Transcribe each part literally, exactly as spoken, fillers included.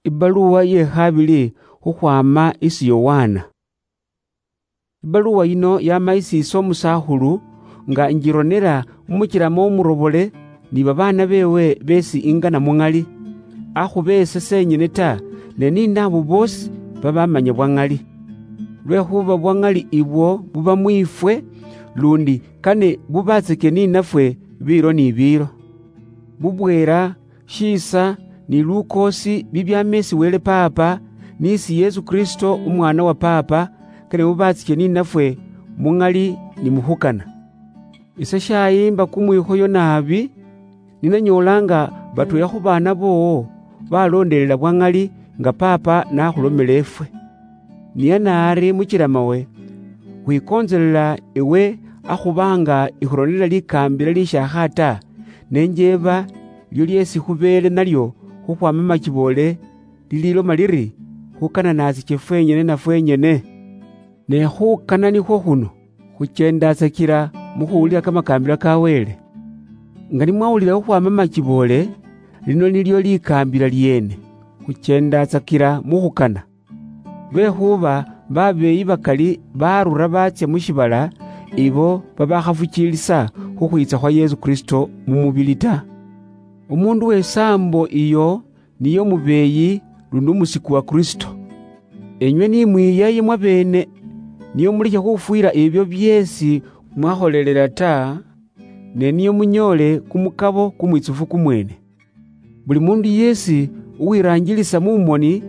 Ibaluwa ye khabili khukhwama isi Yowana. Ibaluwa yino yama isi ise omusakhulu, nga njironera mumuchilamo omurobole ni babaana bewe besi ingana muŋali, akhuba ese senyene ta, ne ninabo bosi babamanya bwaŋali. Lwekhuba bwaŋali ibwo buba mwifwe, lundi kane bubatseke ninafwe biiro ni biiro. Bubweera, shiisa, ni lukoosi bibyama isi Wele Paapa, ni isi Yesu Kristo Umwaana wa Paapa, kane bubatsiche ninafwe muŋali ni mukhukana. Ise shayimba kumwikhoyo naabi, ninanyoolanga batweela khu baana boowo baloondelela bwaŋali nga Paapa nakhulomela efwe. Niye naari muchilamawe, khwikontselela ewe akhubanga ikhuronela likaambila lieshiakha ta, ne njeeba lio lyeesi khubeele nalio khukhwama machiboole, lililoma liri, khukana natsiche fwenyene na fwenyene. Ne khukana nikhwo khuno, khuchendatsakila mukhuwulila kamakaambila ka Wele. Nga nimwawulila khukhwama machiboole, lino nilio likaambila lyeene, khuchendatsakila mukhukana. Lwekhuba babeeyi bakali barura batsya mu shiibala, ibo babakhafukiilisa khukhwiitsa khwa Yesu Kristo mu mubili ta. Umuundu w'esaambo iyo niye umubeeyi lundi umusiku wa Kristo. Enywe ni mwiyaye mwabeene, nio mulekhe khufwiira ebyo byeesi mwakholelela ta, ne nio munyoole kumukabo kumwitsufu kumweene. Buli mundu yeesi uwiraanjilisa mu moni,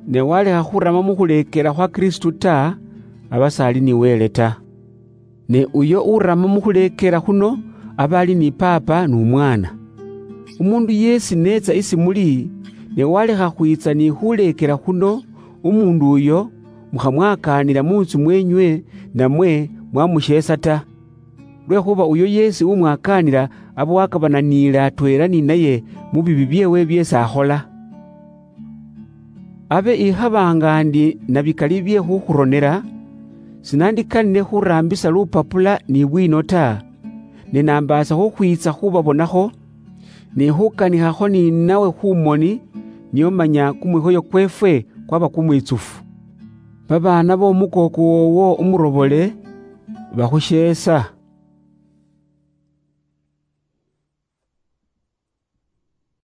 ne walekha khurama mu khuleekela khwa Kristu ta, aba s'ali ni Wele ta. Ne uyo urama mu khuleekela khuno, aba ali ni Paapa n'Umwaana. Umuundu yeesi n'etsa isi muli, ne walekha khwiitsa ni khuleekela khuno, umuundu uyo mukhamwakaanila mu ntsu mweenywe, namwe mwamusheesa ta. Lwekhuba uyo yeesi umwakaanila aba wakabananiile atweela ninaye mu bibi byeewe byeesi akhola. Abe ikhaba nga ndi na bikali bye khukhuronela, sinandikanile khuraambisa lupapula ni bwiino ta, ne nambaasa khukhwiitsa khubabonakho, ni khukanikhakho ninawe khu moni, nio manya kumwikhoyo kweefwe kwaba kumwitsufu. Babaana b'omukooko woowo umurobole bakhusheesa.